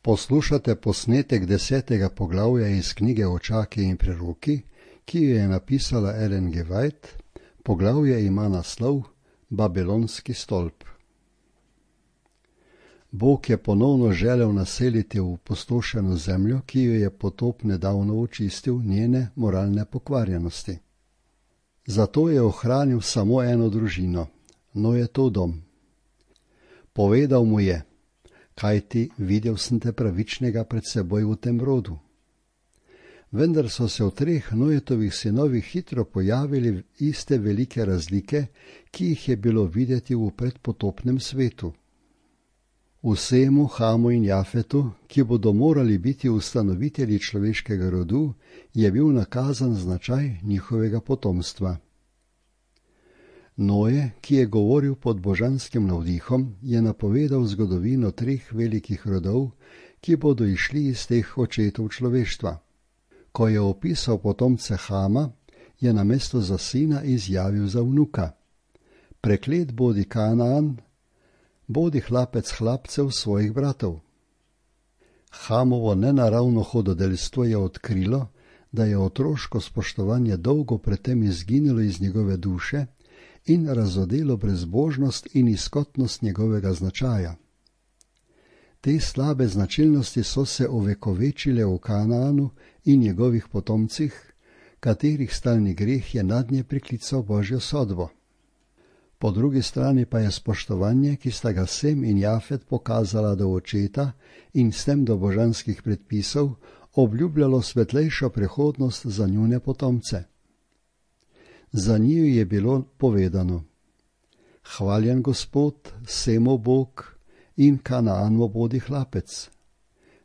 Poslušate posnetek 10. poglavja iz knjige Očaki in preroki, ki jo je napisala Ellen G. White. Poglavje ima naslov Babilonski stolp. Bog je ponovno želel naseliti v opustošeno zemljo, ki jo je potop nedavno očistil njene moralne pokvarjenosti. Zato je ohranil samo eno družino, Noetov dom. Povedal mu je: kajti videl sem te pravičnega pred seboj v tem rodu. Vendar so se v 3 Noetovih sinovih hitro pojavili iste velike razlike, ki jih je bilo videti v predpotopnem svetu. V Semu, Hamu in Jafetu, ki bodo morali biti ustanovitelji človeškega rodu, je bil nakazan značaj njihovega potomstva. Noe, ki je govoril pod božanskim navdihom, je napovedal zgodovino 3 velikih rodov, ki bodo išli iz teh očetov človeštva. Ko je opisal potomce Hama, je namesto za sina izjavil za vnuka: preklet bodi Kanaan, bodi hlapec hlapcev svojih bratov. Hamovo nenaravno hudodelstvo je odkrilo, da je otroško spoštovanje dolgo predtem izginilo iz njegove duše in razodelo brezbožnost in izkotnost njegovega značaja. Te slabe značilnosti so se ovekovečile v Kanaanu in njegovih potomcih, katerih stalni greh je nadnje priklical Božjo sodbo. Po drugi strani pa je spoštovanje, ki sta ga Sem in Jafet pokazala do očeta in s tem do božanskih predpisov, obljubljalo svetlejšo prihodnost za njune potomce. Za njiju je bilo povedano: hvaljen Gospod, Semov Bog in Kanaanov bodi hlapec.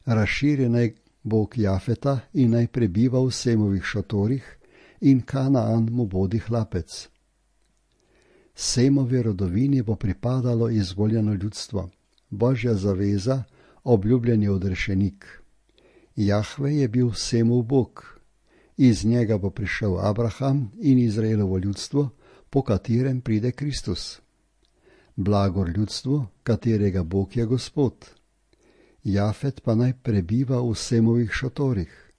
Razširi naj Bog Jafeta in naj prebiva v Semovih šotorih in Kanaan mu bodi hlapec. Semovi rodovini bo pripadalo izvoljeno ljudstvo, Božja zaveza, obljubljeni odrešenik. Jahve je bil Semov Bog. Iz njega bo prišel Abraham in Izraelovo ljudstvo, po katerem pride Kristus. Blagor ljudstvu, katerega Bog je Gospod. Jafet pa naj prebiva v Semovih šotorih.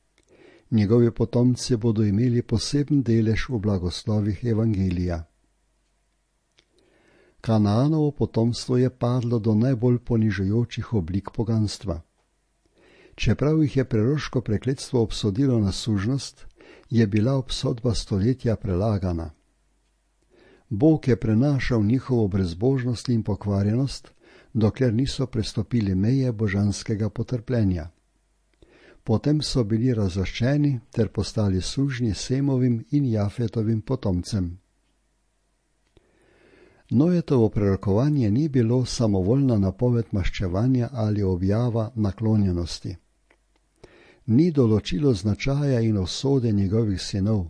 Njegovi potomci bodo imeli poseben delež v blagoslovih evangelija. Kanaanovo potomstvo je padlo do najbolj ponižujočih oblik poganstva. Čeprav jih je preroško prekletstvo obsodilo na sužnost, je bila obsodba stoletja prelagana. Bog je prenašal njihovo brezbožnost in pokvarjenost, dokler niso prestopili meje božanskega potrpljenja. Potem so bili razvrščeni ter postali sužnji Semovim in Jafetovim potomcem. Noetovo prerokovanje ni bilo samovoljna napoved maščevanja ali objava naklonjenosti. Ni določilo značaja in usode njegovih sinov.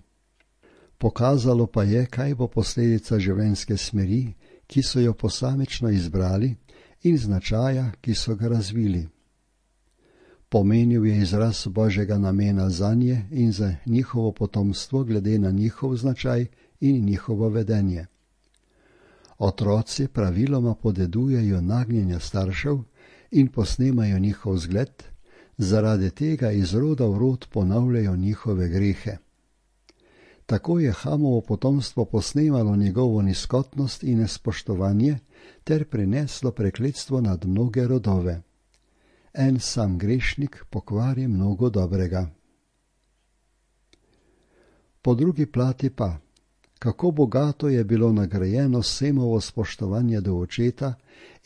Pokazalo pa je, kaj bo posledica življenjske smeri, ki so jo posamično izbrali, in značaja, ki so ga razvili. Pomenil je izraz Božjega namena zanje in za njihovo potomstvo glede na njihov značaj in njihovo vedenje. Otroci praviloma podedujejo nagnjenja staršev in posnemajo njihov zgled, zaradi tega iz roda v rod ponavljajo njihove grehe. Tako je Hamovo potomstvo posnemalo njegovo nizkotnost in nespoštovanje ter prineslo prekletstvo nad mnoge rodove. En sam grešnik pokvari mnogo dobrega. Po drugi plati pa, kako bogato je bilo nagrajeno Semovo spoštovanje do očeta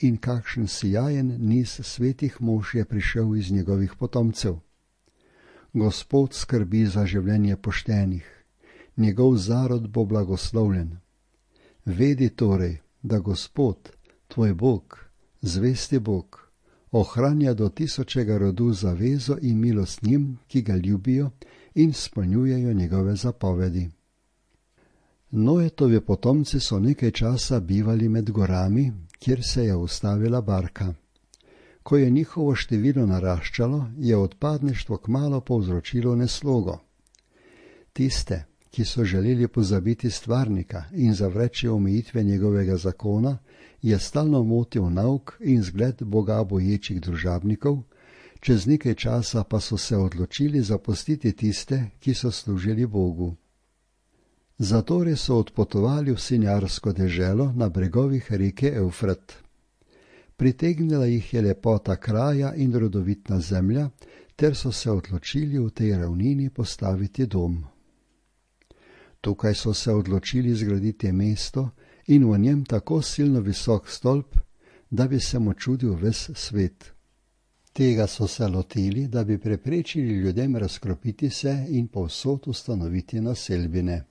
in kakšen sijajen niz svetih mož je prišel iz njegovih potomcev. Gospod skrbi za življenje poštenih, njegov zarod bo blagoslovljen. Vedi torej, da Gospod, tvoj Bog, zvesti Bog, ohranja do 1000. rodu zavezo in milost njim, ki ga ljubijo in spolnjujejo njegove zapovedi. Noetovi potomci so nekaj časa bivali med gorami, kjer se je ustavila barka. Ko je njihovo število naraščalo, je odpadništvo kmalu povzročilo neslogo. Tiste, ki so želeli pozabiti stvarnika in zavreči omejitve njegovega zakona, je stalno motil nauk in zgled Boga boječih družabnikov, čez nekaj časa pa so se odločili zapustiti tiste, ki so služili Bogu. Zatorej so odpotovali v sinjarsko deželo na bregovih reke Evfrat. Pritegnila jih je lepota kraja in rodovitna zemlja, ter so se odločili v tej ravnini postaviti dom. Tukaj so se odločili zgraditi mesto in v njem tako silno visok stolp, da bi se mu čudil ves svet. Tega so se lotili, da bi preprečili ljudem razkropiti se in povsod ustanoviti naselbine.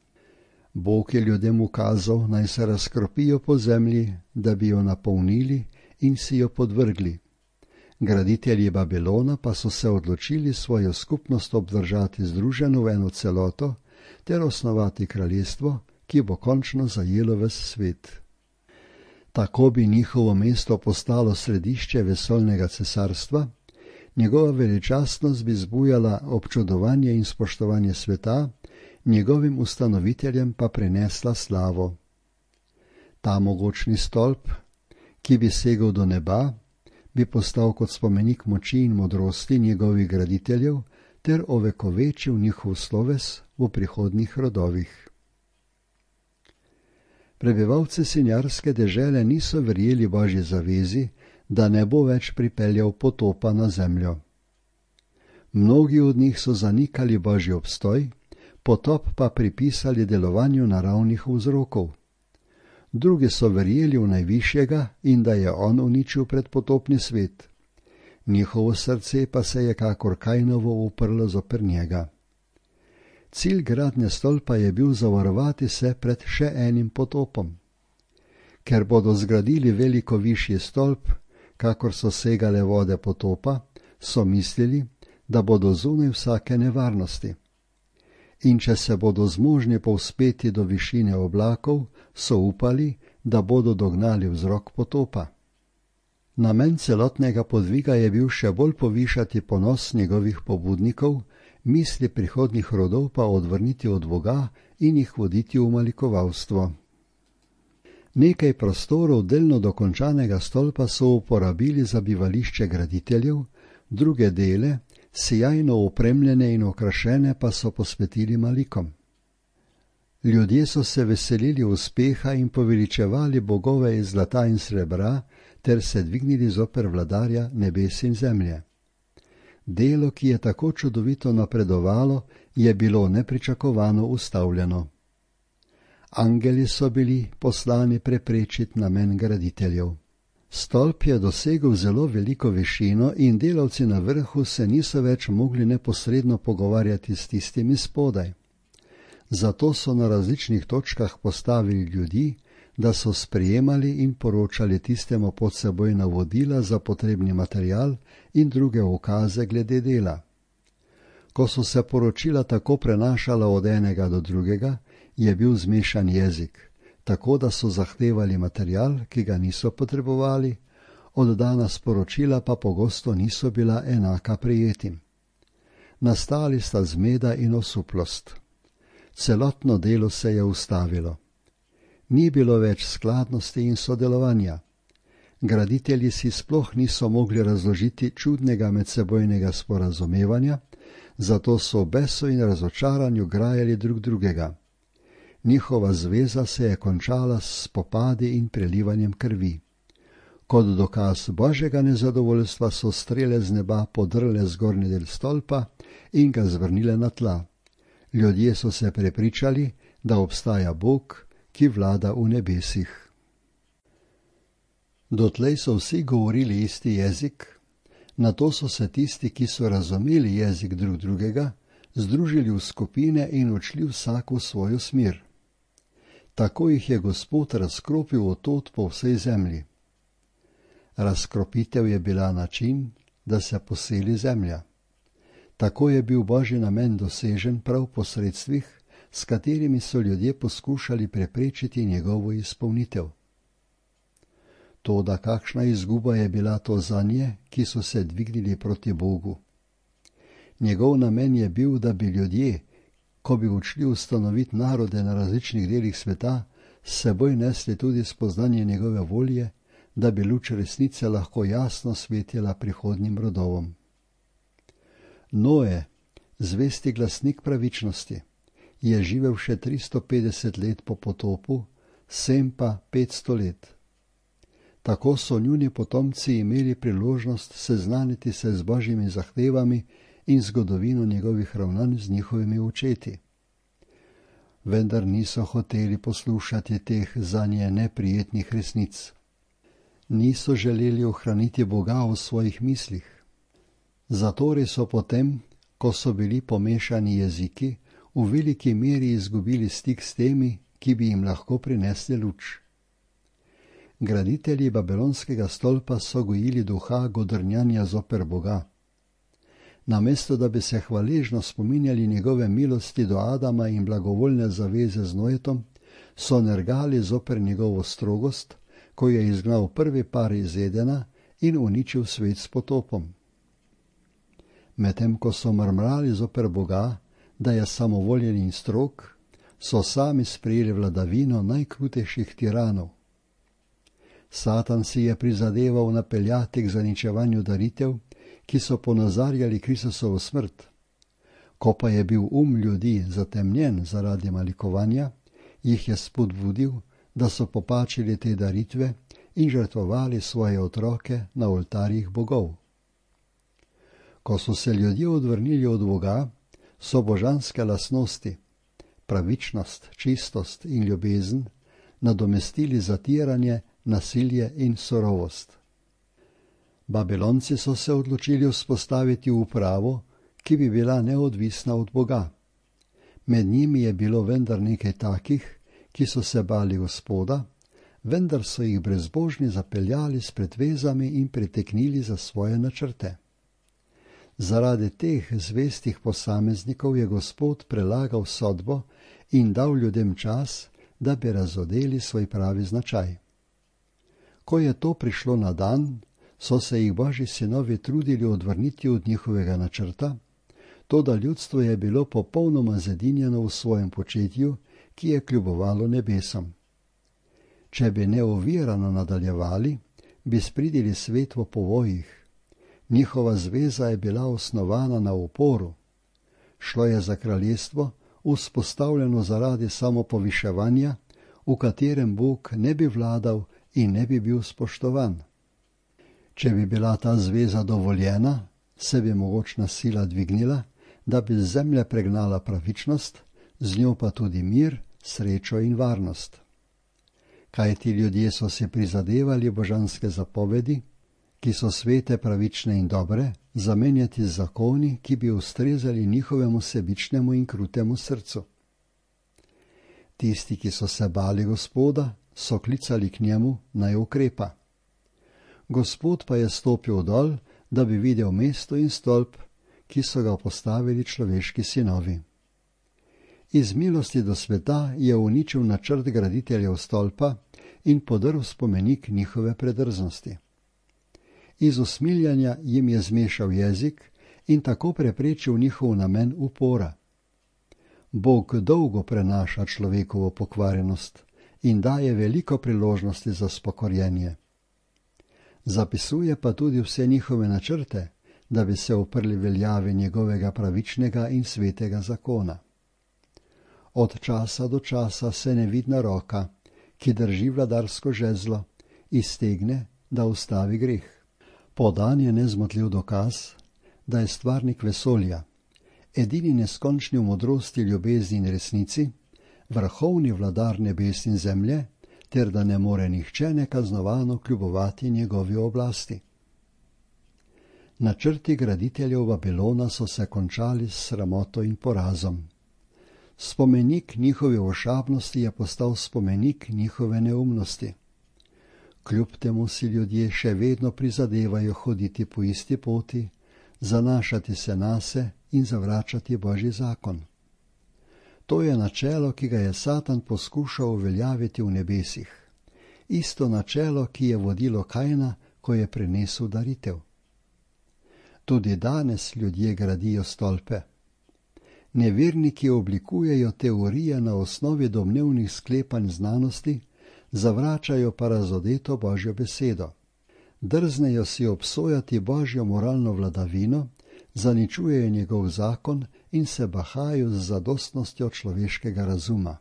Bog je ljudem ukazal, naj se razkropijo po zemlji, da bi jo napolnili in si jo podvrgli. Graditelji Babilona pa so se odločili svojo skupnost obdržati združeno v eno celoto ter osnovati kraljestvo, ki bo končno zajelo ves svet. Tako bi njihovo mesto postalo središče vesoljnega cesarstva, njegova veličastnost bi zbujala občudovanje in spoštovanje sveta, njegovim ustanoviteljem pa prinesla slavo. Ta mogočni stolp, ki bi segel do neba, bi postal kot spomenik moči in modrosti njegovih graditeljev ter ovekovečil njihov sloves v prihodnjih rodovih. Prebivalci sinjarske dežele niso verjeli Božji zavezi, da ne bo več pripeljal potopa na zemljo. Mnogi od njih so zanikali Božji obstoj, potop pa pripisali delovanju naravnih vzrokov. Drugi so verjeli v Najvišjega in da je on uničil predpotopni svet. Njihovo srce pa se je kakor Kainovo uprlo zoper njega. Cilj gradnje stolpa je bil zavarovati se pred še enim potopom. Ker bodo zgradili veliko višji stolp, kakor so segale vode potopa, so mislili, da bodo zunaj vsake nevarnosti. In če se bodo zmožni povzpeti do višine oblakov, so upali, da bodo dognali vzrok potopa. Namen celotnega podviga je bil še bolj povišati ponos njegovih pobudnikov, misli prihodnjih rodov pa odvrniti od Boga in jih voditi v malikovalstvo. Nekaj prostorov delno dokončanega stolpa so uporabili za bivališče graditeljev, druge dele, sijajno opremljene in okrašene, pa so posvetili malikom. Ljudje so se veselili uspeha in poveličevali bogove iz zlata in srebra, ter se dvignili zoper vladarja nebes in zemlje. Delo, ki je tako čudovito napredovalo, je bilo nepričakovano ustavljeno. Angeli so bili poslani preprečiti namen graditeljev. Stolp je dosegel zelo veliko višino in delavci na vrhu se niso več mogli neposredno pogovarjati s tistimi spodaj. Zato so na različnih točkah postavili ljudi, da so sprejemali in poročali tistemu pod seboj navodila za potrebni material in druge ukaze glede dela. Ko so se poročila tako prenašala od enega do drugega, je bil zmešan jezik, tako da so zahtevali material, ki ga niso potrebovali, oddana sporočila pa pogosto niso bila enaka prejetim. Nastali sta zmeda in osuplost. Celotno delo se je ustavilo. Ni bilo več skladnosti in sodelovanja. Graditelji si sploh niso mogli razložiti čudnega medsebojnega sporazumevanja, zato so v besu in razočaranju grajali drug drugega. Njihova zveza se je končala s spopadi in prelivanjem krvi. Kot dokaz Božjega nezadovoljstva so strele z neba podrle zgornji del stolpa in ga zvrnile na tla. Ljudje so se prepričali, da obstaja Bog, ki vlada v nebesih. Dotlej so vsi govorili isti jezik, nato so se tisti, ki so razumeli jezik drug drugega, združili v skupine in odšli vsak v svojo smer. Tako jih je Gospod razkropil od po vsej zemlji. Razkropitev je bila način, da se poseli zemlja. Tako je bil Božji namen dosežen prav po sredstvih, s katerimi so ljudje poskušali preprečiti njegovo izpolnitev. Toda kakšna izguba je bila to zanje, ki so se dvignili proti Bogu. Njegov namen je bil, da bi ljudje, ko bi odšli ustanoviti narode na različnih delih sveta, s seboj nesli tudi spoznanje njegove volje, da bi luč resnice lahko jasno svetila prihodnjim rodovom. Noe, zvesti glasnik pravičnosti, je živel še 350 let po potopu, Sem pa 500 let. Tako so njuni potomci imeli priložnost seznaniti se z Božjimi zahtevami in zgodovino njegovih ravnanj z njihovimi očeti. Vendar niso hoteli poslušati teh zanje neprijetnih resnic. Niso želeli ohraniti Boga v svojih mislih. Zatorej so potem, ko so bili pomešani jeziki, v veliki meri izgubili stik s temi, ki bi jim lahko prinesli luč. Graditelji Babilonskega stolpa so gojili duha godrnjanja zoper Boga. Namesto da bi se hvaležno spominjali njegove milosti do Adama in blagovoljne zaveze z Noetom, so nergali zoper njegovo strogost, ko je izgnal prvi par iz Edena in uničil svet s potopom. Medtem ko so mrmrali zoper Boga, da je samovoljen in strog, so sami sprejeli vladavino najkrutejših tiranov. Satan si je prizadeval napeljati k zaničevanju daritev, ki so ponazarjali Kristusovo smrt. Ko pa je bil ljudi zatemnjen zaradi malikovanja, jih je spodbudil, da so popačili te daritve in žrtvovali svoje otroke na oltarjih bogov. Ko so se ljudje odvrnili od Boga, so božanske lastnosti, pravičnost, čistost in ljubezen, nadomestili zatiranje, nasilje in surovost. Babilonci so se odločili vzpostaviti upravo, ki bi bila neodvisna od Boga. Med njimi je bilo vendar nekaj takih, ki so se bali Gospoda, vendar so jih brezbožni zapeljali s pretvezami in priteknili za svoje načrte. Zaradi teh zvestih posameznikov je Gospod prelagal sodbo in dal ljudem čas, da bi razodeli svoj pravi značaj. Ko je to prišlo na dan, so se jih Božji sinovi trudili odvrniti od njihovega načrta, toda ljudstvo je bilo popolnoma zedinjeno v svojem početju, ki je kljubovalo nebesom. Če bi neovirano nadaljevali, bi spridili svet v povojih. Njihova zveza je bila osnovana na uporu. Šlo je za kraljestvo, vzpostavljeno zaradi samopoviševanja, v katerem Bog ne bi vladal in ne bi bil spoštovan. Če bi bila ta zveza dovoljena, se bi mogočna sila dvignila, da bi z zemlje pregnala pravičnost, z njo pa tudi mir, srečo in varnost. Kajti ljudje so si prizadevali božanske zapovedi, ki so svete, pravične in dobre, zamenjati z zakoni, ki bi ustrezali njihovemu sebičnemu in krutemu srcu. Tisti, ki so se bali Gospoda, so klicali k njemu, naj ukrepa. Gospod pa je stopil dol, da bi videl mesto in stolp, ki so ga postavili človeški sinovi. Iz milosti do sveta je uničil načrt graditeljev stolpa in podrl spomenik njihove predrznosti. Iz usmiljanja jim je zmešal jezik in tako preprečil njihov namen upora. Bog dolgo prenaša človekovo pokvarjenost in daje veliko priložnosti za spokorjenje. Zapisuje pa tudi vse njihove načrte, da bi se uprli veljavi njegovega pravičnega in svetega zakona. Od časa do časa se nevidna roka, ki drži vladarsko žezlo, iztegne, da ustavi greh. Podan je nezmotljiv dokaz, da je stvarnik vesolja, edini neskončni v modrosti, ljubezni in resnici, vrhovni vladar nebes in zemlje, ter da ne more nihče nekaznovano kljubovati njegovi oblasti. Načrti graditeljev Babilona so se končali s sramoto in porazom. Spomenik njihove ošabnosti je postal spomenik njihove neumnosti. Kljub temu si ljudje še vedno prizadevajo hoditi po isti poti, zanašati se nase in zavračati Božji zakon. To je načelo, ki ga je Satan poskušal uveljaviti v nebesih. Isto načelo, ki je vodilo Kaina, ko je prinesel daritev. Tudi danes ljudje gradijo stolpe. Neverniki oblikujejo teorije na osnovi domnevnih sklepanj znanosti, zavračajo pa razodeto Božjo besedo. Drznejo si obsojati Božjo moralno vladavino, zaničujejo njegov zakon in se bahajo z zadostnostjo človeškega razuma.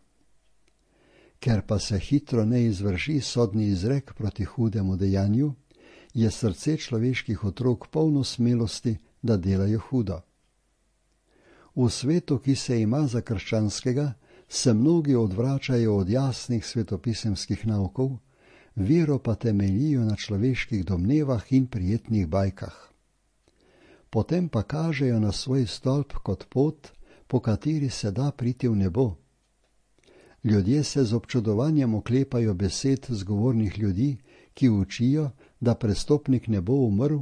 Ker pa se hitro ne izvrši sodni izrek proti hudemu dejanju, je srce človeških otrok polno smelosti, da delajo hudo. V svetu, ki se ima za krščanskega, se mnogi odvračajo od jasnih svetopisemskih naukov, vero pa temeljijo na človeških domnevah in prijetnih bajkah. Potem pa kažejo na svoj stolp kot pot, po kateri se da priti v nebo. Ljudje se z občudovanjem oklepajo besed zgovornih ljudi, ki učijo, da prestopnik ne bo umrl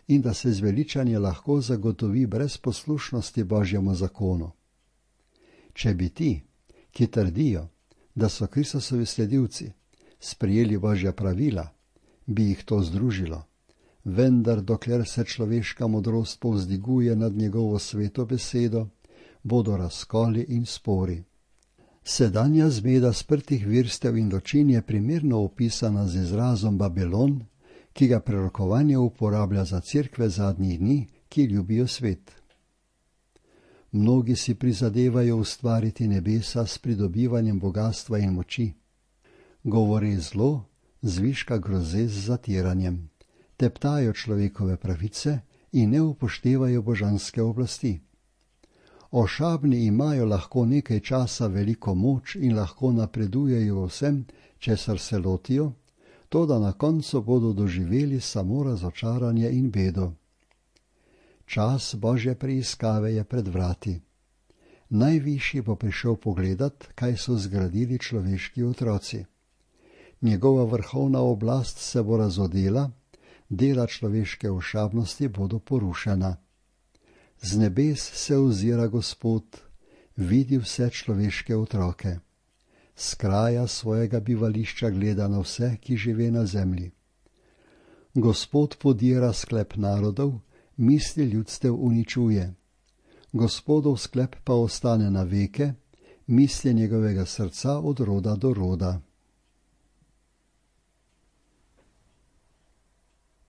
in da se zveličanje lahko zagotovi brez poslušnosti Božjemu zakonu. Če bi ti, ki trdijo, da so Kristusovi sledilci, sprejeli Božja pravila, bi jih to združilo. Vendar dokler se človeška modrost povzdiguje nad njegovo sveto besedo, bodo razkoli in spori. Sedanja zmeda sprtih virstev in ločin je primerno opisana z izrazom Babilon, ki ga prerokovanje uporablja za cerkve zadnjih dni, ki ljubijo svet. Mnogi si prizadevajo ustvariti nebesa s pridobivanjem bogatstva in moči. Govori zlo, zviška groze z zatiranjem, teptajo človekove pravice in ne upoštevajo božanske oblasti. Ošabni imajo lahko nekaj časa veliko moč in lahko napredujejo vsem, česar se lotijo, toda na koncu bodo doživeli samo razočaranje in bedo. Čas Božje preiskave je pred vrati. Najvišji bo prišel pogledat, kaj so zgradili človeški otroci. Njegova vrhovna oblast se bo razodela, dela človeške ošabnosti bodo porušena. Z nebes se ozira Gospod, vidi vse človeške otroke. S kraja svojega bivališča gleda na vse, ki žive na zemlji. Gospod podira sklep narodov, misli ljudstev uničuje. Gospodov sklep pa ostane na veke, misli njegovega srca od roda do roda.